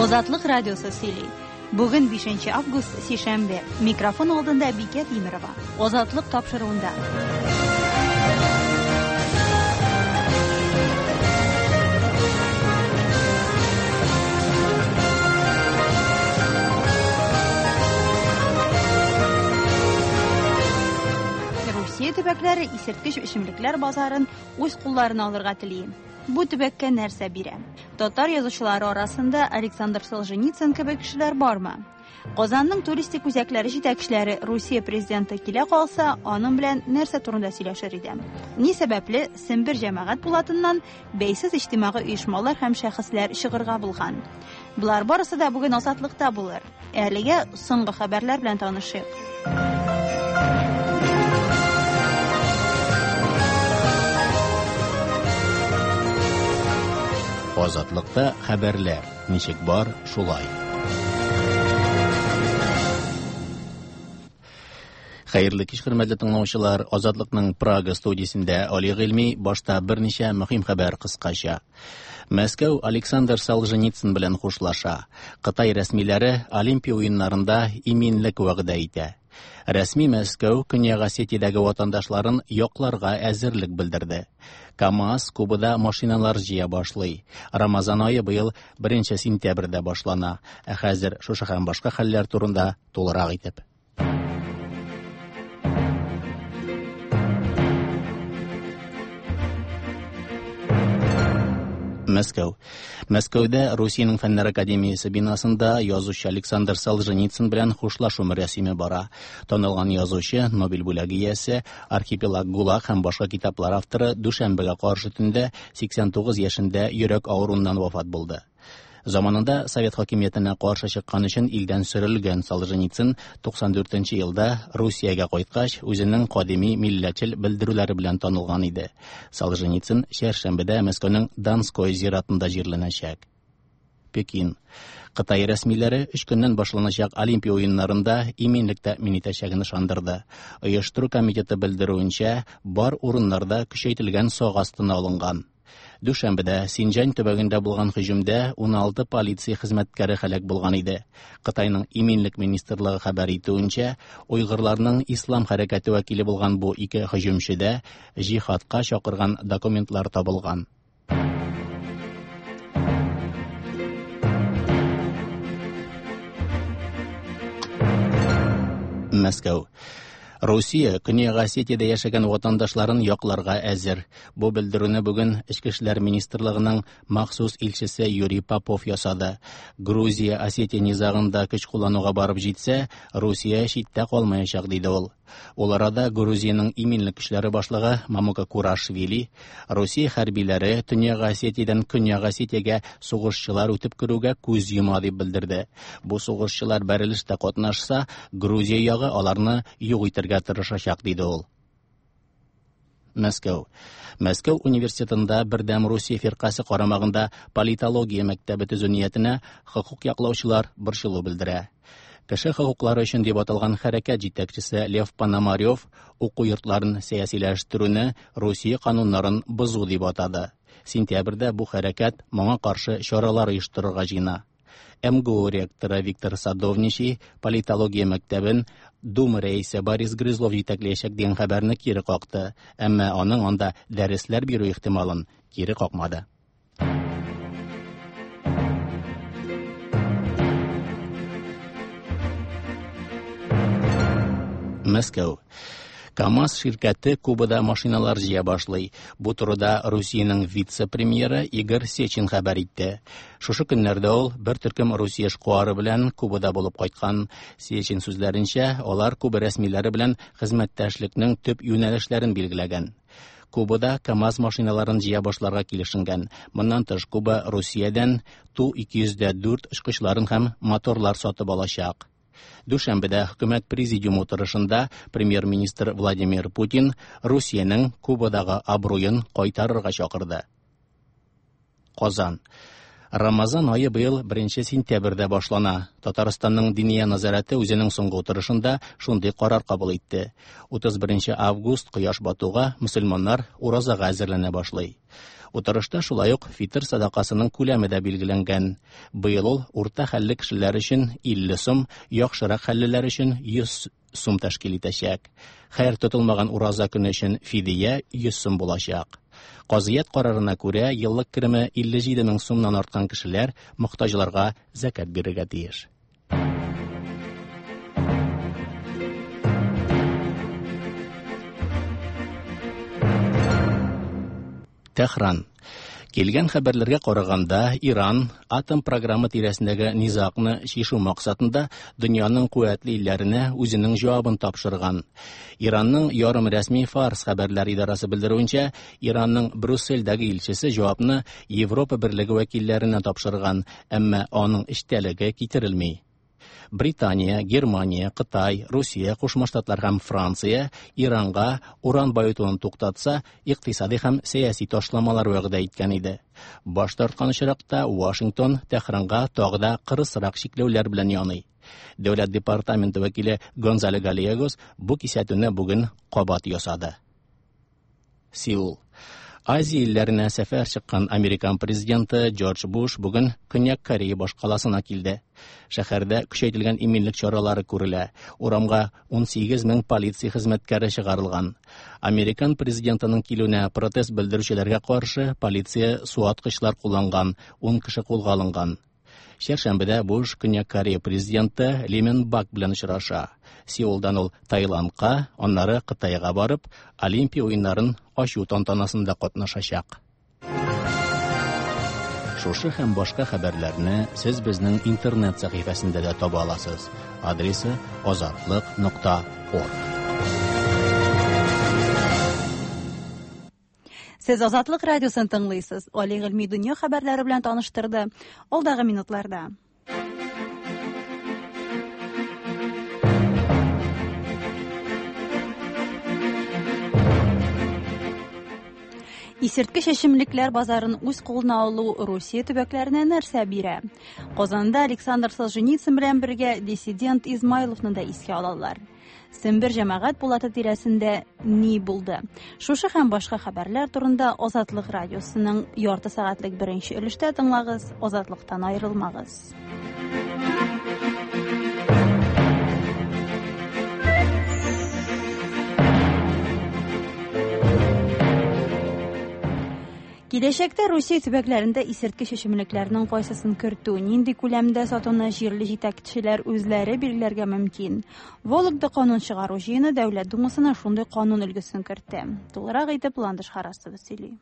Азатлык радиосы сөйли. Бүген 5 август, сишәмбе. Микрофон алдында Бикә Тимерова. Азатлык тапшыруында. Русия төбәкләре исерткеч эчемлекләр базарын үз кулларына алырга тели. Бу төбәккә нәрсә бирә? Татар язучылары арасында Александр Солженицын кебек кешеләр бармы? Казанның туристик үзәкләре җитәкчеләре Русия президенты килә калса, аның белән нәрсә турында сөйләшер иде? Ни сәбәпле Сембер җәмәгать пулатыннан бәйсез иҗтимагый оешмалар һәм шәхесләр чыгырга булган? Болар барысы да бүген Азатлыкта булыр. Әлегә соңгы хәбәрләр белән танышыйк. Азатлыкта хәбәрләр ничек бар, шулай. Хәерле кич, хөрмәтле тыңлаучылар. Азатлыкның Прага студиясендә Али Гыйльми башта берничә мөһим хәбәр кыскача. Мәскәү Александр Солженицын белән хушлаша. Кытай рәсмиләре Олимпия уеннарында иминлек вәгъдә итә. Рәсми Мәскәү Көньяк Осетиядәге ватандашларын якларга әзерлек белдерде. КАМАЗ Кубада машиналар җыя башлый. Рамазан ае быел 1 сентябрьдә башлана. Ә хәзер шушы һәм башка хәлләр турында тулырак итеп. Мәскәү. Мәскәүдә Русиянең Фәннәр академиясе бинасында язучы Александр Солженицын белән хушлашу мөрәсиме бара. Танылган язучы, Нобель бүләге иясе, Архипелаг ГУЛАГ һәм башка китаплар авторы дүшәмбегә каршы төндә 89 яшендә йөрәк авыруыннан вафат булды. Заманында совет хакимиятенә каршы чыккан өчен илдән сөрелгән Солженицын 94 нче елда Русиягә кайткач, үзенең кадими милләтчел белдерүләре белән танылган иде. Солженицын чәршәмбедә Мәскәүнең Донской зиратында җирләнәчәк. Пекин. Кытай рәсмиләре өч көннән башланачак Олимпия уеннарында иминлек тәэмин итәчәген ышандырды. Оештыру комитеты белдерүенчә, бар урыннарда көчәйтелгән сак астына алынган. Дүшәмбедә Синҗань төбәгендә булган һөҗүмдә 16 полиция хезмәткәре һәлак булган иде. Кытайның иминлек министрлыгы хәбәр итүенчә, уйгырларның ислам хәрәкәте вәкиле булган бу ике һөҗүмчедә җихадка чакырган документлар табылган. Мәскәү. Русия Көньяк Осетиядә яшәгән ватандашларын якларга әзер. Бу белдерүне бүген Эчке эшләр министрлыгының махсус илчесе Юрий Попов ясады. Грузия Осетия низагында көч куллануга барып җитсә, Русия читтә калмаячак, диде ул. Ул арада Грузиянең иминлек көчләре башлыгы Мамука Курашвили Русия хәрбиләре Төньяк Осетиядән Көньяк Осетиягә сугышчылар үтеп керүгә күз йома дип белдерде. Бу сугышчылар бәрелештә катнашса, Грузия ягы аларны юк итәргә тырышачак, диде ул. Мәскәү. Мәскәү университетында Бердәм Русия фиркасе карамагында политология мәктәбе төзү ниятенә хокук яклаучылар борчылу белдерә. Кеше хокуклары өчен дип аталган хәрәкәт җитәкчесе Лев Пономарев уку йортларын сәясиләштерүне Русия кануннарын бозу дип атады. Сентябрьдә бу хәрәкәт моңа каршы чаралар оештырырга җыена. МГУ ректоры Виктор Садовничий политология мәктәбен Дума рәисе Борис Грызлов җитәкләячәк дигән хәбәрне кире какты, әмма аның анда дәресләр бирү ихтималын кире какмады. Мәскәү. КАМАЗ ширкәте Кубада машиналар җыя башлый. Бу турыда Русиянең вице-премьеры Игорь Сечин хәбәр итте. Шушы көннәрдә ул бер төркем Русия эшкуары белән Кубада булып кайткан. Сечин сүзләренчә, алар Куба рәсмиләре белән хезмәттәшлекнең төп юнәлешләрен билгеләгән. Кубада КАМАЗ машиналарын җыя башларга килешенгән. Моннан тыш, Куба Русиядән Ту-204 очкычларын һәм моторлар сатып алачак. Дүшәмбедә хөкүмәт президиумы утырышында премьер-министр Владимир Путин Русиянең Кубадагы абруен кайтарырга чакырды. Казан. Рамазан ае быел 1 сентябрьдә башлана. Татарстанның Диния нәзарәте үзенең соңгы утырышында шундый карар кабул итте. 31 август кояш батуга мөселманнар уразага әзерләнә башлый. Утырышта шулай ук фитыр садакасының күләме дә билгеләнгән. Быел ул урта хәлле кешеләр өчен 50 сум, яхшырак хәллеләр өчен 100 сум тәшкил итәчәк. Хәер тотылмаган ураза көне өчен фидия 100 сум булачак. Казыят карарына күрә, еллык кереме 57 мең сумнан арткан кешеләр мохтаҗларга зәкят бирергә тиеш. Тәһран. Килгән хәбәрләргә караганда, Иран атом програмы тирәсендәге низагны чишү максатында дөньяның куәтле илләренә үзенең җавабын тапшырган. Иранның ярым рәсми Фарс хәбәрләр идарасы белдерүенчә, Иранның Брюссельдәге илчесе җавапны Европа берлеге вәкилләренә тапшырган, әмма аның эчтәлеге китерелми. Британия, Германия, Кытай, Русия, Кушма Штатлар һәм Франция Иранга уран баетуын туктатса, икътисади һәм сәяси ташламалар вәгъдә иткән иде. Баш тарткан очракта Вашингтон Тәһранга тагы да кырысрак чикләүләр белән яный. Дәүләт департаменты вәкиле Гонзало Гальегос бу кисәтүне бүген кабат ясады. Сеул. Азия илләренә сәфәр чыккан американ президенты Джордж Буш бүген Көньяк Корея башкаласына килде. Шәһәрдә көчәйтелгән иминлек чаралары күрелә. Урамга 18 мең полиция хезмәткәре чыгарылган. Американ президентының килүенә протест белдерүчеләргә каршы полиция суаткычлар кулланган, 10 кеше кулга алынган. Чәршәмбедә Буш Көньяк Корея президенты Ли Мен Бак белән очраша. Сеулдан ул Таиландка, аннары Кытайга барып, Олимпия уеннарын ачу тантанасында катнашачак. Шушы һәм башка хәбәрләрне сез безнең интернет сәхифәсендә дә таба аласыз. Адресы азатлык.орг. Сез Азатлык радиосын тыңлыйсыз. Али Гыйльми дөнья хәбәрләре белән таныштырды. Алдагы минутларда. Исерткеч эчемлекләр базарын үз кулына алу Русия төбәкләренә нәрсә бирә? Казанда Александр Солженицын белән бергә диссидент Измайловны да искә алалар. Сембер җәмәгать пулаты тирәсендә ни булды? Шушы һәм башка хәбәрләр турында Азатлык радиосының ярты сәгатьлек беренче өлештә тыңлагыз, Азатлыктан аерылмагыз. Киләчәктә Русия төбәкләрендә исерткеч эчемлекләрнең кайсысын кертү, нинди күләмдә сатуны җирле җитәкчеләр үзләре билгеләргә мөмкин. Вологда канун чыгару җыены Дәүләт Думасына шундый канун өлгесен кертте. Тулырак итеп Ландыш Харасова сөйли.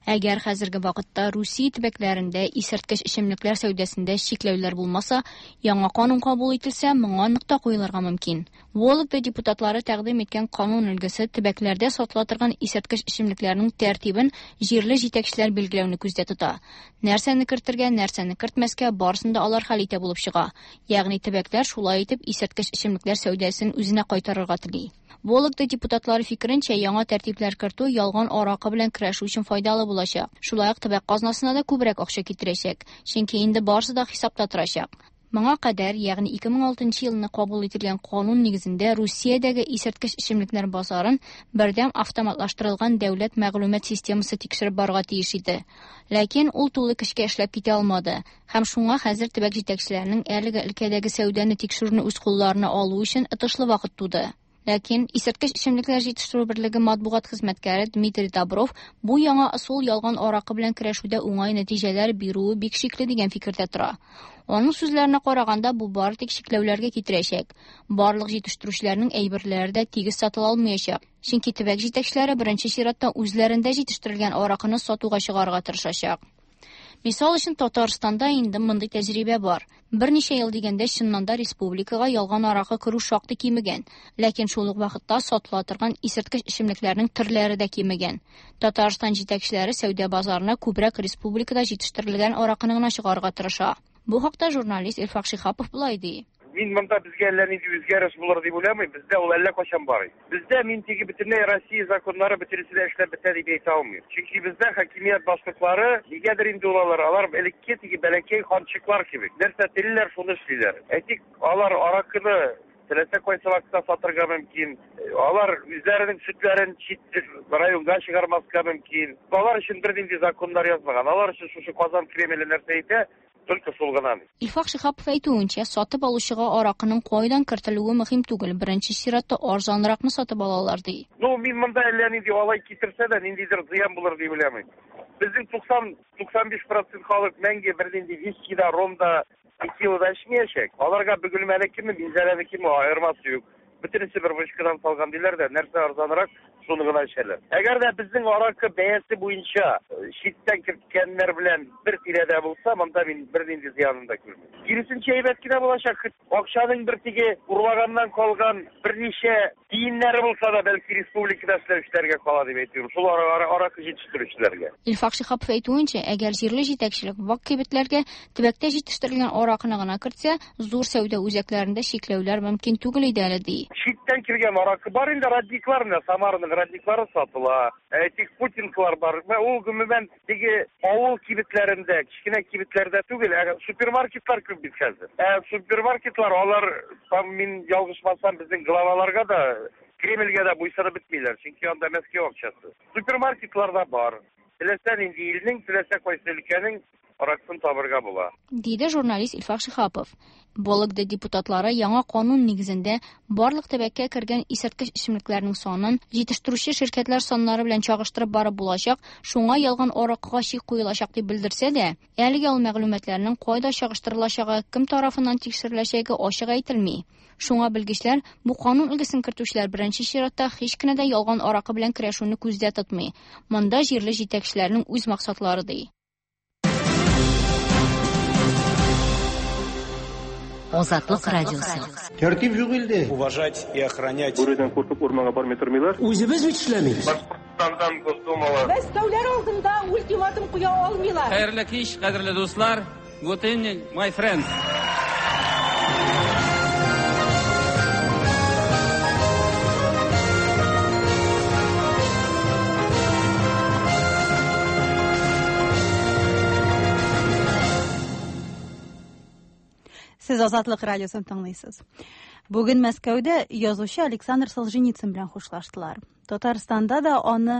Әгәр хәзерге вакытта Русия төбәкләрендә исерткеч эчемлекләр сәүдәсендә чикләүләр булмаса, яңа канун кабул ителсә, моңа нокта куелырга мөмкин. Вологда депутатлары тәкъдим иткән канун өлгесе төбәкләрдә сатыла торган исерткеч эчемлекләрнең тәртибен җирле җитәкчеләр билгеләүне күздә тота. Нәрсәне кертергә, нәрсәне кертмәскә, барысын да алар хәл итә булып чыга. Ягъни төбәкләр шулай итеп исерткеч эчемлекләр сәүдәсен үзенә кайтарырга тели. Вологда депутатлары фикеренчә, яңа тәртипләр кертү ялган аракы белән көрәшү өчен файдалы булачак. Шулай ук төбәк казнасына да күбрәк акча китерәчәк, чөнки инде барысы да хисапта торачак. Моңа кадәр, ягъни 2006 елны кабул ителгән канун нигезендә Русиядәге исерткеч эчемлекләр базарын бердәм автоматлаштырылган дәүләт мәгълүмат системасы тикшереп барырга тиеш иде. Ләкин ул тулы көчкә эшләп китә алмады. Һәм шуңа хәзер төбәк җитәкчеләренең әлеге өлкәдәге сәүдәне тикшерүне үз кулларына алу өчен отышлы вакыт туды. Ләкин исерткеч эчемлекләр җитештерү берлеге матбугат хезмәткәре Дмитрий Добров бу яңа ысул ялган аракы белән көрәшүдә уңай нәтиҗәләр бирүе бик шикле дигән фикердә тора. Аның сүзләренә караганда, бу бары тик чикләүләргә китерәчәк. Барлык җитештерүчеләрнең әйберләре дә тигез сатыла алмаячак. Чөнки төбәк җитәкчеләре беренче чиратта үзләрендә җитештерелгән аракыны сатуга чыгарырга тырышачак. Мисал өчен, Татарстанда инде мондый тәҗрибә бар. Берничә ел дигәндә чыннан да республикага ялган аракы керү шактый кимегән, ләкин шул ук вакытта сатыла торган исерткеч эчемлекләрнең төрләре дә кимегән. Татарстан җитәкчеләре сәүдә базарына күбрәк республикада җитештерелгән аракыны гына чыгарырга тырыша. Бу хакта журналист Илфак Шиһапов болай ди. Мин монда безгә әллә нинди үзгәреш булыр дип уйламыйм. Бездә ул әллә кайчан бар. Бездә мин теге бөтенләй Россия законнары бөтенесе дә эшләп бетә дип әйтә алмыйм. Чөнки бездә хакимият башлыклары нигәдер инде ул алар, алар элекке теге бәләкәй ханчыклар кебек. Нәрсә телиләр, шуны эшлиләр. Әйтик, алар аракыны теләсә кайсы вакытта сатырга мөмкин. Алар үзләренең сөтләрен чит районга чыгармаска мөмкин. Алар өчен бернинди законнар язмаган. Алар өчен шушы Казан Кремле нәрсә әйтә, только шул гына. Илфак Шиһапов әйтүенчә, сатып алучыга аракының кайдан кертелүе мөһим түгел. Беренче чиратта арзанракны сатып алалар, ди. Ну, мин монда әллә нинди алай китерсә дә, ниндидер зыян булыр дип уйламыйм. Безнең 90-95% халык мәңге бернинди виски да, ром да, текила да эчмәячәк. Аларга Бөгелмәнекеме, Минзәләнекеме аермасы юк. Бөтенесе бер вышкадан салган диләр дә, нәрсә арзанрак, шуны гына эчәләр. Әгәр дә безнең аракы бәясе буенча читтән керткәннәр белән бер тирәдә булса, монда мин бернинди зыянын да күрмим. Киресенчә әйбәт кенә булачак. Акчаның бер теге урлаганнан калган берничә тиеннәре булса да, бәлки республикада эшләүчеләргә кала дип әйтүем. Шул аракы җитештерүчеләргә. Илфак Шиһапов әйтүенчә, әгәр җирле җитәкчелек вак кибетләргә төбәктә җитештерелгән аракыны гына кертсә, зур сәүдә үзәкләрендә чикләүләр мөмкин түгел иде әле, ди. Читтән килгән аракы бар инде, родниклар менә, Самараның родниклары сатыла. Әйтик, путинкалар бар. Менә ул гомумән теге авыл кибетләрендә, кечкенә кибетләрдә түгел, ә супермаркетлар күп бит хәзер. Ә супермаркетлар, алар, там, мин ялгышмасам, безнең главаларга да, Кремльгә дә буйсынып бетмиләр, чөнки анда Мәскәү акчасы. Супермаркетлар да бар. Теләсә нинди илнең, теләсә кайсы өлкәнең аракысын табырга була, диде журналист Илфак Шиһапов. Вологда депутатлары яңа канун нигезендә барлык төбәккә кергән исерткеч эчемлекләрнең санын җитештерүче ширкәтләр саннары белән чагыштырып барып булачак, шуңа ялган аракыга чик куелачак дип белдерсә дә, әлегә ул мәгълүматларның кайда чагыштырылачагы, кем тарафыннан тикшереләчәге ачык әйтелми. Шуңа белгечләр бу канун өлгесен кертүчеләр беренче чиратта һич кенә дә ялган аракы белән көрәшүне күздә тотмый. Монда җирле җитәкчеләрнең үз максатлары, ди. Азатлык радиосы. Тәртип юк илдә. Уважать и охранять. Бүредән куркып урманга бармый тормыйлар. Үзебез бит эшләмибез. Башкортстандан Госдумала. Мәскәүләр алдында ультиматум куя алмыйлар. Хәерле кич, кадерле дуслар. Good evening, my friends. Сез Азатлык радиосын тыңлыйсыз. Бүген Мәскәүдә язучы Александр Солженицын белән хушлаштылар. Татарстанда да аны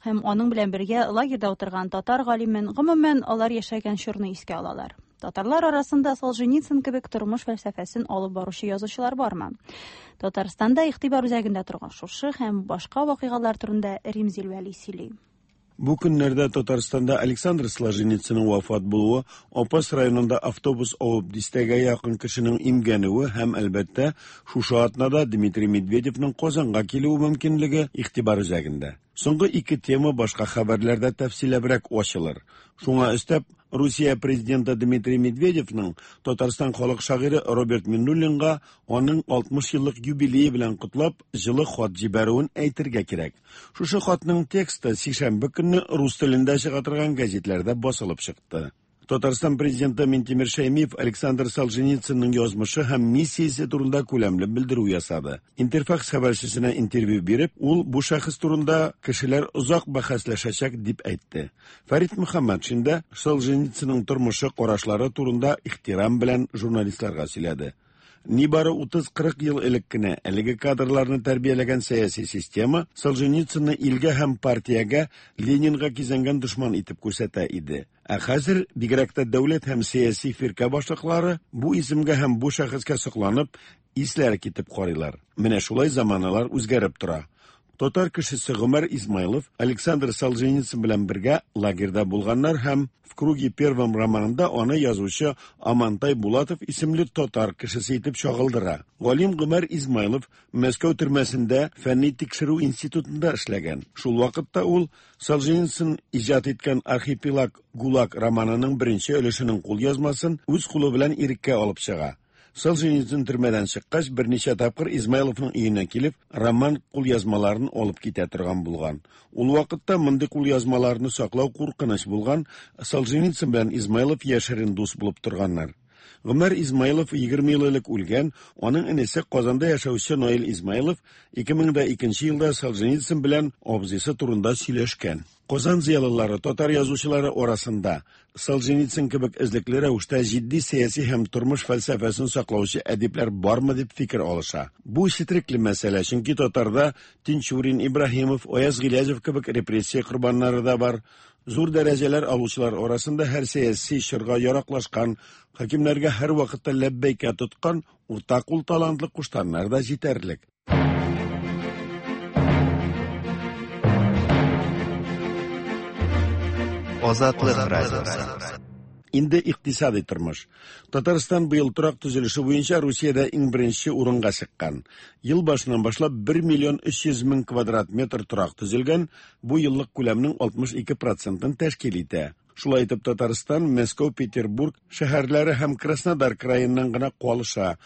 һәм аның белән бергә лагерьда утырган татар галимен, гомумән, алар яшәгән чорны искә алалар. Татарлар арасында Солженицын кебек тормыш фәлсәфәсен алып баручы язучылар бармы? Татарстанда игътибар үзәгендә торган шушы һәм башка вакыйгалар турында Римзил Вәли сөйли. Бу көннәрдә Татарстанда Александр Солженицынның вафат булуы, Апас районында автобус авып дистәгә якын кешенең имгәнүе һәм, әлбәттә, шушы атнада Дмитрий Медведевның Казанга килүе мөмкинлеге игътибар үзәгендә. Соңгы ике тема башка хәбәрләрдә тәфсилләбрәк ачылыр. Шуңа өстәп, Русия президенты Дмитрий Медведевның Татарстан халык шагыйре Роберт Миннуллинга аның 60 еллык юбилее белән котлап, җылы хат җибәрүен әйтергә кирәк. Шушы хатның тексты сишәмбе көнне рус телендә чыга торган гәзитләрдә басылып чыкты. Татарстан президенты Минтимер Шәймиев Александр Солженицынның язмышы һәм миссиясе турында күләмле белдерү ясады. Интерфакс хәбәрчесенә интервью биреп, ул бу шәхес турында кешеләр озак бәхәсләшәчәк дип әйтте. Фәрит Мөхәммәтшин дә Солженицынның тормышы, карашлары турында ихтирам белән журналистларга сөйләде. Нибары 30-40 ел элек кенә әлеге кадрларны тәрбияләгән сәяси система Солженицынны илгә һәм партиягә, Ленинга кизәнгән дошман итеп күрсәтә иде. Ә хәзер бигрәк тә дәүләт һәм сәяси фиркә башлыклары бу исемгә һәм бу шәхескә сокланып, исләре китеп карыйлар. Менә шулай заманалар үзгәреп тора. Татар кешесе Гомәр Измайлов Александр Солженицын белән бергә лагерьда булганнар һәм В круге первом романында аны язучы Амантай Булатов исемле татар кешесе итеп чагылдыра. Галим Гомәр Измайлов Мәскәү төрмәсендә фәнни тикшерү институтында эшләгән. Шул вакытта ул Солженицын иҗат иткән Архипелаг ГУЛАГ романының беренче өлешенең кулъязмасын үз кулы белән иреккә алып чыга. Солженицын төрмәдән чыккач, берничә тапкыр Измайловның өенә килеп, роман кулъязмаларын алып китә торган булган. Ул вакытта мондый кулъязмаларны саклау куркыныч булган, Солженицын белән Измайлов яшерен дус булып торганнар. Гомәр Измайлов 20 ел элек үлгән, аның энесе Казанда яшәүче Наил Измайлов 2002 елда Солженицын белән абзыйсы турында сөйләшкән. Казан зыялылары, татар язучылары арасында Солженицын кебек эзлекле рәвештә җитди сәяси һәм тормыш фәлсәфәсен саклаучы әдипләр бармы дип фикер алыша. Бу четерекле мәсьәлә, чөнки татарда Тинчурин, Ибраһимов, Аяз Гыйләҗев кебек репрессия корбаннары да бар. Зур дәрәҗәләр алучылар арасында һәр сәяси чорга яраклашкан, хакимнәргә һәр вакытта ләббәйкә тоткан уртакул талантлы куштаннар да җитәрлек. Азатлык радиосы. Инде икътисадый тормыш. Татарстан быел торак төзелеше буенча Русиядә иң беренче урынга чыккан. Ел башыннан башлап 1 миллион 300 мең квадрат метр торак төзелгән, бу еллык күләмнең 62 процентын тәшкил итә. Шулай итеп Татарстан, Мәскәү, Петербург шәһәрләре һәм Краснодар краеннан гына калыша.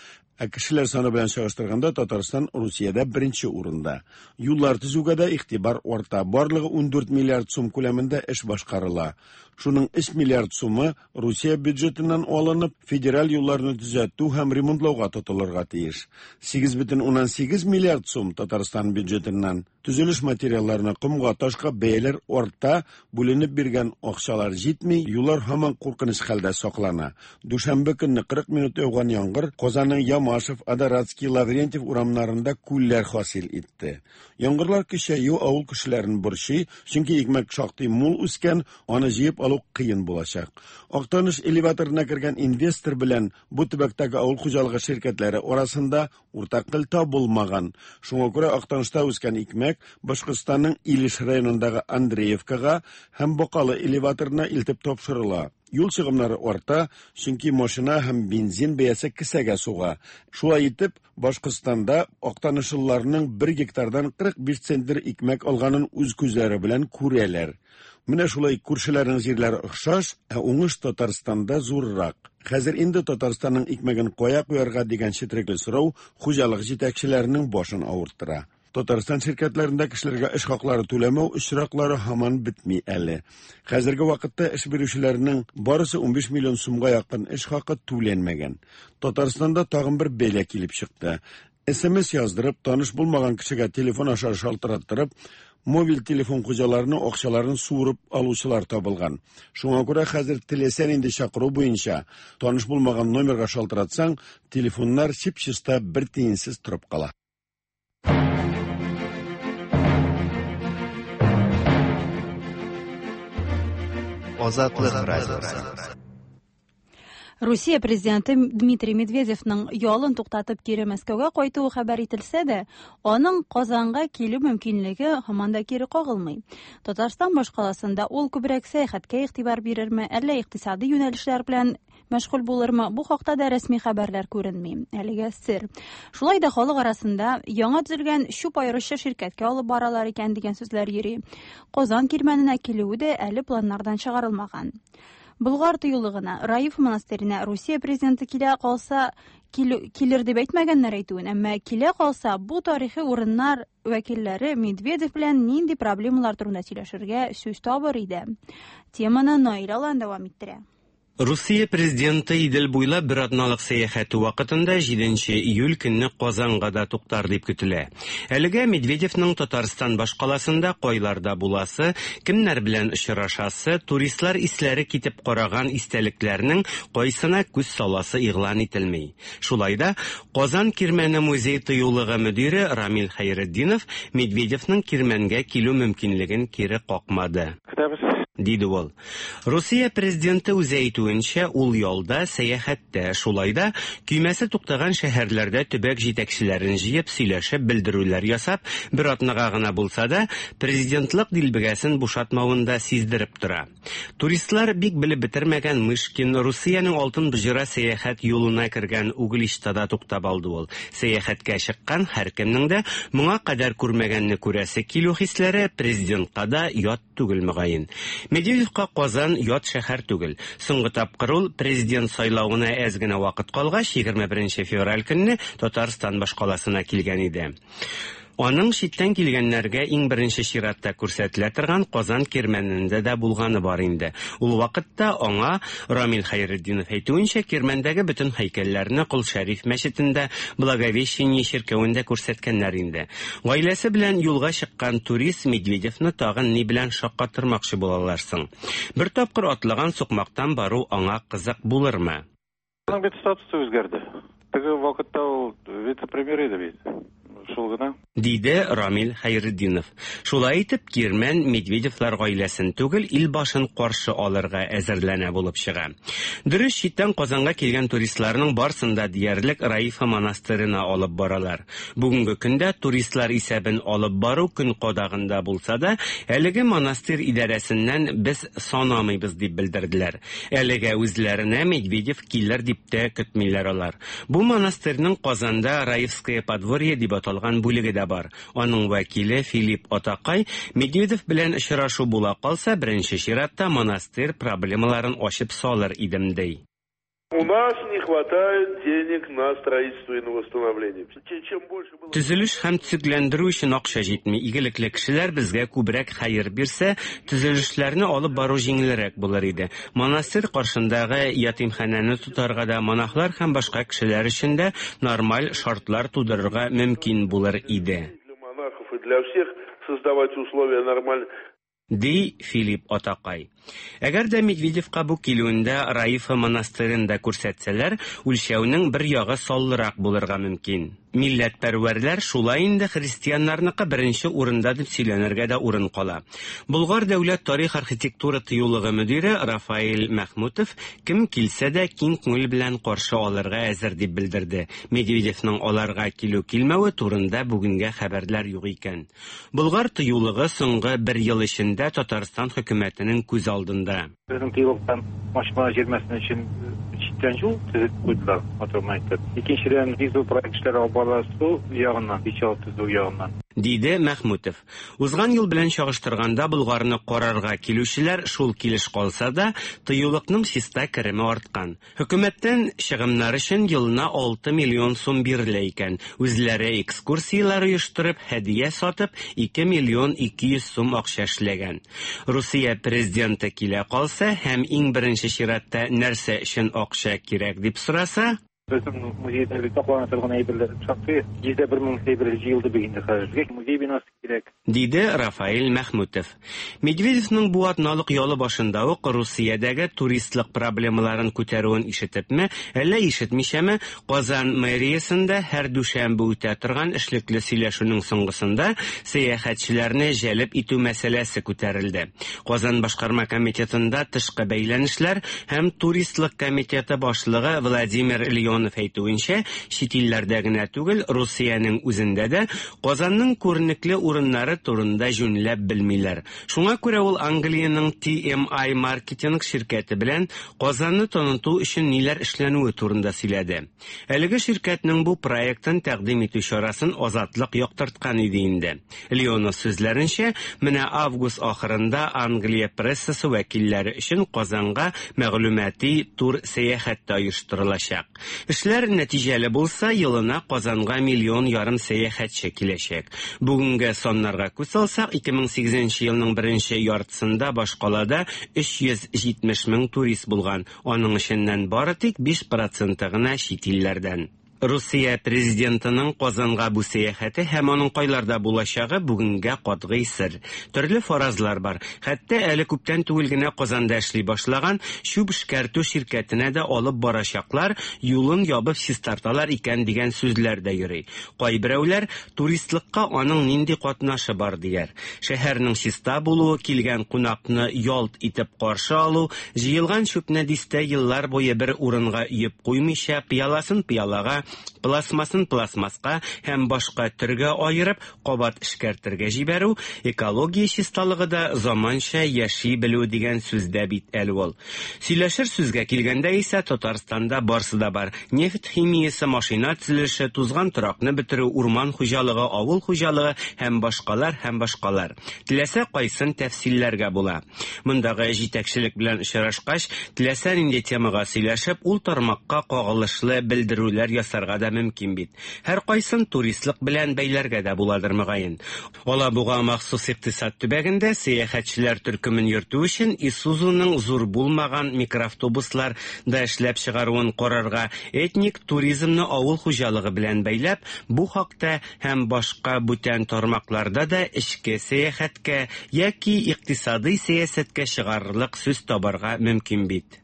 Ә кешеләр саны белән чагыштырганда Татарстан Русиядә беренче урында. Юллар төзүгә дә игътибар арта. Барлыгы 14 миллиард сум күләмендә эш башкарыла. Шуның 3 миллиард сумы Русия бюджетыннан алынып, федераль юлларны төзәтү һәм ремонтлауга тотылырга тиеш. 8,8 миллиард сум Татарстан бюджетыннан. Төзелеш материалларына, комга, ташка бәяләр арта, бүленеп биргән акчалар җитми, юллар һаман куркыныч хәлдә саклана. Дүшәмбе көнне 40 минут яуган яңгыр Казанның Ямашев, Адоратский, Лаврентьев урамнарында күлләр хасил итте. Яңгырлар көчәю авыл кешеләрен борчый, чөнки икмәк шактый мул үскән, аны җыеп алу кыен булачак. Актаныш элеваторына кергән инвестор белән бу төбәктәге авыл хуҗалыгы ширкәтләре арасында уртак тел табылмаган. Шуңа күрә Актанышта үскән икмәк Башкортстанның Илеш районындагы Андреевкага һәм Бакалы элеваторына илтеп тапшырыла. Юл чыгымнары арта, чөнки машина һәм бензин бәясе кесәгә суга. Шулай итеп, Башкортстанда актанышлыларның 1 гектардан 45 центнер икмәк алганын үз күзләре белән күрәләр. Менә шулай күршеләрнең җирләре охшаш, ә уңыш Татарстанда зуррак. Хәзер инде Татарстанның икмәген кая куярга дигән четерекле сорау хуҗалык җитәкчеләренең башын авырттыра. Татарстан ширкәтләрендә кешеләргә эш хаклары түләмәү очраклары һаман бетми әле. Хәзерге вакытта эш бирүчеләрнең барысы 15 миллион сумга якын эш хакы түләнмәгән. Татарстанда тагын бер бәла килеп чыкты. СМС яздырып, таныш булмаган кешегә телефон аша шалтыраттырып, мобиль телефон хуҗаларының акчаларын суырып алучылар табылган. Шуңа күрә хәзер теләсә нинди чакыру буенча таныш булмаган номерга шалтыратсаң, телефоннар чип-чиста бер тиенсез торып кала. Азатлык радиосы. Русия президенты Дмитрий Медведевның ялын туктатып кире Мәскәүгә кайтуы хәбәр ителсә дә, аның Казанга килү мөмкинлеге һаман да кире кагылмый. Татарстан башкаласында ул күбрәк сәяхәткә игътибар бирерме, әллә икътисади юнәлешләр белән мәшгуль булырмы, бу хакта да рәсми хәбәрләр күренми. Әлегә сер. Шулай да халык арасында яңа төзелгән чүп аеручы ширкәткә алып баралар икән дигән сүзләр йөри. Казан кирмәненә килүе дә әле планнардан чыгарылмаган. Болгар тыюлыгына, Раиф монастырена Русия президенты килә калса, килер дип әйтмәгәннәр әйтүен, әмма килә калса, бу тарихи урыннар вәкилләре Медведев белән нинди проблемалар турында сөйләшергә сүз табыр иде. Теманы Наил Алан дәвам иттерә. Русия президенты Идел буйлап бер атналык сәяхәте вакытында 7 июль көнне Казанга да туктар дип көтелә. Әлегә Медведевның Татарстан башкаласында кайларда буласы, кемнәр белән очрашасы, туристлар исләре китеп караган истәлекләрнең кайсына күз саласы игълан ителми. Шулай да Казан Кирмәне музей тыюлыгы мөдире Рамил Хәйретдинов Медведевның Кирмәнгә килү мөмкинлеген кире какмады. Көтәбез. Диде ул. Русия президенты үзе әйтүенчә, ул ялда, сәяхәттә, шулай да көймәсе туктаган шәһәрләрдә төбәк җитәкчеләрен җыеп, сөйләшеп, белдерүләр ясап, бер атнага гына булса да, президентлык дилбегәсен бушатмавын да сиздереп тора. Туристлар бик белеп бетермәгән Мышкин Русиянең алтын боҗра сәяхәт юлына кергән Угличтада туктап алды ул. Сәяхәткә чыккан һәркемнең дә моңа кадәр күрмәгәнне күрәсе килү хисләре президентка да ят түгел мөгаен. Медведевка Казан ят шәһәр түгел. Соңгы тапкыр ул президент сайлавына әз генә вакыт калгач, 21 февраль көнне Татарстан башкаласына килгән иде. Аның читтән килгәннәргә иң беренче чиратта күрсәтелә торган Казан Кирмәнендә дә булганы бар инде. Ул вакытта аңа, Рамил Хәйретдинов әйтүенчә, Кирмәндәге бөтен һәйкәлләрне Кол Шәриф мәчетендә, Благовещение чиркәвендә күрсәткәннәр инде. Гаиләсе белән юлга чыккан турист Медведевны тагын ни белән шаккатырмакчы булалар соң? Бер тапкыр атлаган сукмактан бару аңа кызык булырмы? Аның бит статусы үзгәрде. Теге вакытта ул вице-премьер иде бит. Шул гына. Диде Рамил Хәйретдинов. Шулай итеп, Кирмән Медведевлар гаиләсен түгел, ил башын каршы алырга әзерләнә булып чыга. Дөрес, читтән Казанга килгән туристларның барсын да диярлек Раифа монастырена алып баралар. Бүгенге көндә туристлар исәбен алып бару көн кадагында булса да, әлеге монастырь идарәсеннән без санамыйбыз дип белдерделәр. Әлегә үзләренә Медведев килер дип тә көтмиләр алар. Бу монастырьның Казанда Раевское подворье дип аталган бүлеге дә бар. Аның вәкиле Филипп Атакай Медведев белән очрашу була калса, беренче чиратта монастырь проблемаларын ачып салыр идем, ди. У нас не хватает денег на строительство и на восстановление. Чем больше было... Төзелеш һәм төзекләндерү өчен акча җитми. Игелекле кешеләр безгә күбрәк хәер бирсә, төзелешләрне алып бару җиңелрәк булыр иде. Монастырь каршындагы ятимханәне тотарга да, монахлар һәм башка кешеләр өчен дә нормаль шартлар тудырырга мөмкин булыр иде. Для монахов и для всех создавать условия нормально. Ди Филипп Атакай. Әгәр дә Медведевка бу килүендә Раифа монастырен да күрсәтсәләр, үлчәүнең бер ягы саллырак булырга мөмкин. Милләтпәрвәрләр шулай инде христианнарныкы беренче урында дип сөйләнергә дә урын кала. Болгар дәүләт тарих-архитектура тыюлыгы мөдире Рафаэль Мәхмүтов кем килсә дә киң күңел белән каршы алырга әзер дип белдерде. Медведевның аларга килү-килмәве турында бүгенгә хәбәрләр юк икән. Болгар тыюлыгы соңгы бер ел эчендә Татарстан хөкүмәтенең күз алдында. Безнең тыюлыктан машина җирмәсен өчен читтән юл төзеп куйдылар, матур гына итеп. Икенчедән, бик зур проект эшләре алып барыла су ягыннан, причал төзү ягыннан. Диде Мәхмүтов. Узган ел белән чагыштырганда Болгарны карарга килүчеләр шул килеш калса да, тыюлыкның чиста кереме арткан. Хөкүмәттән чыгымнар өчен елына 6 миллион сум бирелә икән. Үзләре экскурсияләр оештырып, һәдия сатып, 2 миллион 200 сум акча эшләгән. Русия президенты килә калса һәм иң беренче чиратта нәрсә өчен акча кирәк дип сораса, Безнең музейда бит саклана торган әйберләр шактый, 101 мең әйбер җыелды бит инде хәзер. Безгә музей бинасы кирәк. Диде Рафаэль Мәхмүтов. Медведевның бу атналык ялы башында ук Русиядәге туристлык проблемаларын күтәрүен ишетепме, әллә ишетмичәме, Казан мэриясендә һәр дүшәмбе үтә торган эшлекле сөйләшүнең соңгысында сәяхәтчеләрне җәлеп итү мәсьәләсе күтәрелде. Казан башкарма комитетында тышкы бәйләнешләр һәм туристлык комитеты башлыгы Владимир Леонов әйтүенчә, чит илләрдә генә түгел, Русиянең үзендә дә Казанның күренекле урыннары турында җүнләп белмиләр. Шуңа күрә ул Англиянең TMI маркетинг ширкәте белән Казанны таныту өчен ниләр эшләнүе турында сөйләде. Әлеге ширкәтнең бу проектын тәкъдим итү чарасын Азатлык яктырткан иде инде. Леонов сүзләренчә, менә август ахырында Англия прессасы вәкилләре өчен Казанга мәгълүмати тур сәяхәт тә оештырылачак. Эшләр нәтиҗәле булса, елына Казанга миллион ярым сәяхәтче киләчәк. Бүгенге саннарга күз салсак, 2008 елның беренче яртысында башкалада 370 мең турист булган. Аның эченнән бары тик 5 проценты гына чит илләрдән. Русия президентының Казанга бу сәяхәте һәм аның кайларда булачагы бүгенгә катгый сер. Төрле фаразлар бар. Хәтта әле күптән түгел генә Казанда эшли башлаган чүп эшкәртү ширкәтенә дә алып барачаклар, юлын ябып чистарталар икән дигән сүзләр дә йөри. Кайберәүләр туристлыкка аның нинди катнашы бар дияр. Шәһәрнең чиста булуы, килгән кунакны ялт итеп каршы алу, җыелган чүпне дистә еллар буе бер урынга өеп куймыйча, пыяласын пыялага, пластмасын пластмаска һәм башка төргә аерып, кабат эшкәртергә җибәрү, экология чисталыгы да заманча яши белү дигән сүз дә бит әле ул. Сөйләшер сүзгә килгәндә исә Татарстанда барсы да бар. Нефть химиясе, машина төзелеше, тузган торакны бетерү, урман хуҗалыгы, авыл хуҗалыгы һәм башкалар һәм башкалар. Теләсә кайсын тәфсилләргә була. Мондагы җитәкчелек белән очрашкач, теләсә нинди темага сөйләшеп, ул тармакка кагылышлы белдерүләр ясарга ясарга да мөмкин бит. Һәркайсын туристлык белән бәйләргә дә буладыр, мөгаен. Алабуга махсус икътисад төбәгендә сәяхәтчеләр төркемен йөртү өчен Исузуның зур булмаган микроавтобуслар да эшләп чыгаруын карарга, этник туризмны авыл хуҗалыгы белән бәйләп, бу хакта һәм башка бүтән тармакларда да эчке сәяхәткә яки икътисадый сәясәткә чыгарырлык сүз табарга мөмкин бит.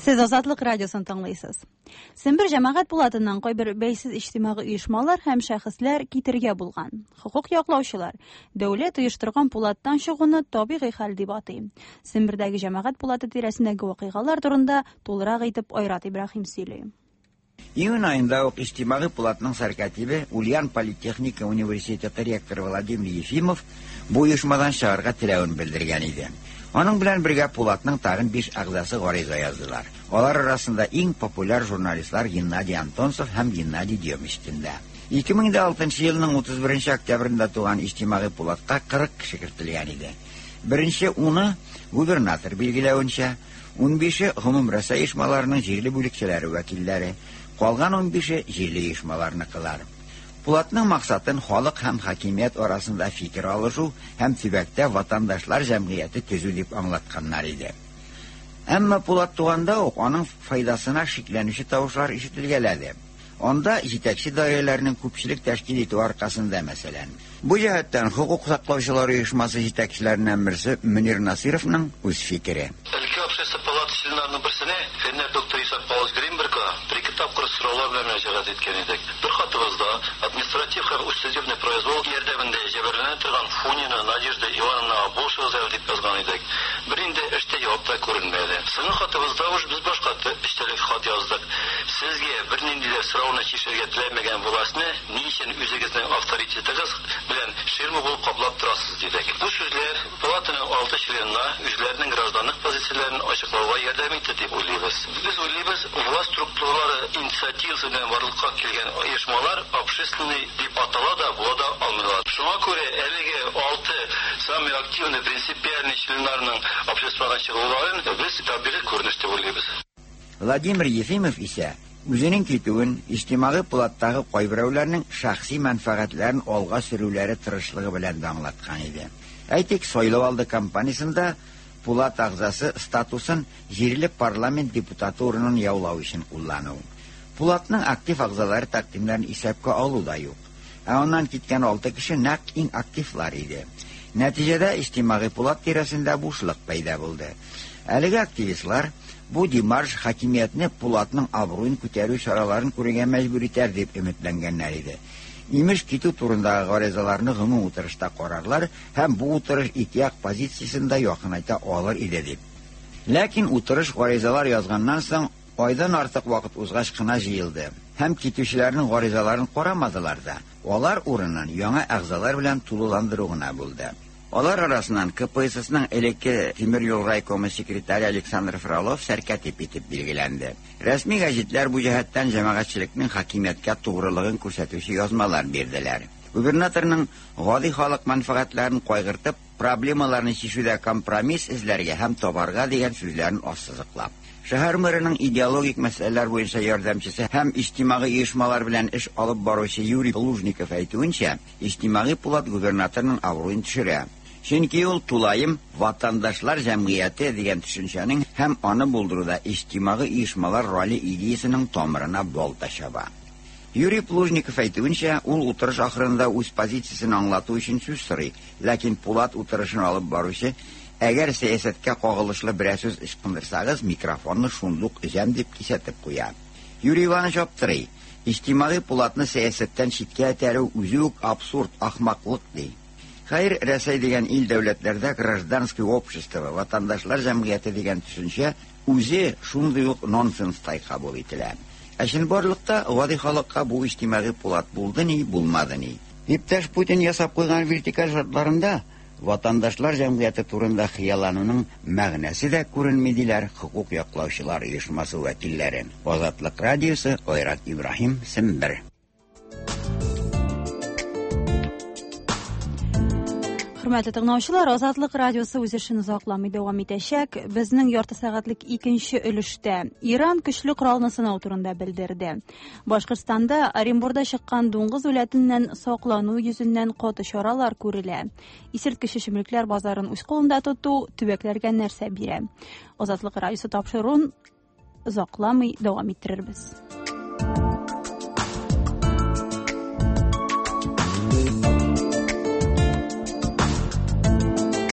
Сез Азатлык радиосын тыңлыйсыз. Сембер җәмәгать пулатыннан кайбер бәйсез иҗтимагый оешмалар һәм шәхесләр китергә булган. Хокук яклаучылар дәүләт оештырган пулаттан чыгуны табигый хәл дип атый. Сембердәге җәмәгать пулаты тирәсендәге вакыйгалар турында тулырак итеп Айрат Ибраһим сөйли. Июнь аенда ук Иҗтимагый пулатның сәркатибе, Ульян политехника университеты ректоры Владимир Ефимов бу оешмадан чыгарга теләвен белдергән иде. Аның белән бергә пулатның тагын биш әгъзасы гариза яздылар. Алар арасында иң популяр журналистлар Геннадий Антонцев һәм Геннадий Демечкин да. 2006 елның 31 октябрендә туган Иҗтимагый пулатка 40 кеше кертелгән иде. Беренче уны губернатор билгеләвенчә, унбише гомумрәсәй оешмаларының җирле бүлекчәләре вәкилләре, калган унбише җирле оешмаларныкылар. Пулатның максатын халык һәм хакимият арасында фикер алышу һәм төбәктә ватандашлар җәмгыяте төзү дип аңлатканнар иде. Әмма Пулат туганда ук аның файдасына шикләнүче тавышлар ишетелгәләде. Анда җитәкче даирәләрнең күпчелек тәшкил итүе аркасында, мәсәлән. Бу җәһәттән хокук саклаучылар оешмасы җитәкчеләреннән берсе Мөнир Насыйровның үз фикере. Өлкә Общество палата членнарының берсенә, фәннәр докторы Исаак Павлович Гринбергка бер-ике тапкыр сораулар белән мөрәҗәгать иткән идек. Бер хатыбызда административ һәм судебный произвол ярдәмендә җәберләнә торган Фунина Надежда Ивановнага булышыгыз әле дип язган идек. Бернинди эш тә, җавап та күренмәде. Соңгы хатыбызда уж без башка эчтәлекле хат яздык. Сезгә бернинди дә сорауны чишәргә теләмәгән властьны ни өчен үзегезнең авторитетыгыз белән ширма булып каплап торасыз, дидек. Бу сүзләр палатаның алты членына үзләренең гражданлык позицияләрен ачыклауга ярдәм итте дип уйлыйбыз. Без уйлыйбыз, власть структуралары инициативасы белән барлыкка килгән оешмалар общественный дип атала да, була да алмыйлар. Шуңа күрә әлеге алты самый активный принципиальный членнарның обществодан чыгуларын без табигый күренеш дип уйлыйбыз. Владимир Ефимов исә үзенең китүен Иҗтимагый пулаттагы кайберәүләрнең шәхси мәнфәгатьләрен алга сөрүләре тырышлыгы белән дә аңлаткан иде. Әйтик, сайлау алды кампаниясендә пулат әгъзасы статусын җирле парламент депутаты урынын яулау өчен куллану. Пулатның актив әгъзалары тәкъдимнәрен исәпкә алу да юк. Ә аннан киткән алты кеше нәкъ иң активлар иде. Нәтиҗәдә Иҗтимагый пулат тирәсендә бушлык пәйда булды. Әлеге активистлар бу демарш хакимиятне пулатның абруен күтәрү чараларын күрергә мәҗбүр итәр дип өметләнгәннәр иде. Имеш, китү турындагы гаризаларны гомум утырышта карарлар һәм бу утырыш ике як позициясен дә якынайта алыр иде дип. Ләкин утырыш гаризалар язганнан соң айдан артык вакыт узгач кына җыелды һәм китүчеләрнең гаризаларын карамадылар да. Алар урынын яңа әгъзалар белән тулыландыру гына булды. Алар арасыннан КПССның элекке тимер юл райкомы секретаре Александр Фролов сәркатип итеп билгеләнде. Рәсми гәҗитләр бу җәһәттән җәмәгатьчелекнең хакимияткә тугрылыгын күрсәтүче язмалар бирделәр. Губернаторның гади халык мәнфәгатьләрен кайгыртып, проблемаларны чишүдә компромисс эзләргә һәм табарга дигән сүзләрен ассызыклап. Шәһәр мэрының идеологик мәсьәләләр буенча ярдәмчесе һәм иҗтимагый оешмалар белән эш алып баручы Юрий Лужников әйтүенчә, Иҗтимагый пулат губернаторның абруен төшерә. Чөнки ул тулаем ватандашлар җәмгыяте дигән төшенчәнең һәм аны булдыруда иҗтимагый оешмалар роле идеясының тамырына балта чаба. Юрий Плужников әйтүенчә, ул утырыш ахырында үз позициясен аңлату өчен сүз сорый, ләкин пулат утырышын алып баручы, әгәр сәясәткә кагылышлы берәр сүз ычкындырсагыз, микрофонны шундук өзәм дип кисәтеп куя. Юрий Иванович аптырый. Иҗтимагый пулатны сәясәттән читкә этәрү үзе үк абсурд, ахмаклык ди. Хәер, Рәсәй дигән ил дәүләтләрдә гражданский общество, ватандашлар җәмгыяте дигән төшенчә үзе шундый ук нонсенстай кабул ителә. Ә чынбарлыкта гади халыкка бу иҗтимагый пулат булды ни, булмады ни. Иптәш Путин ясап куйган вертикаль шартларында ватандашлар җәмгыяте турында хыяллануның мәгънәсе дә күренми диләр хокук яклаучылар оешмасы вәкилләре. Азатлык радиосы, Айрат Ибраһим, Сембер. Хөрмәтле тыңлаучылар, Азатлык радиосы үз эшен озакламый дәвам итәчәк. Безнең ярты сәгатьлек икенче өлештә Иран көчле коралны сынау турында белдерде. Башкортстанда Оренбурда чыккан дуңгыз үләтеннән саклану йөзеннән каты чаралар күрелә. Исерткеч эчемлекләр базарын үз кулында тоту төбәкләргә нәрсә бирә? Азатлык радиосы тапшыруын озакламый дәвам иттерербез.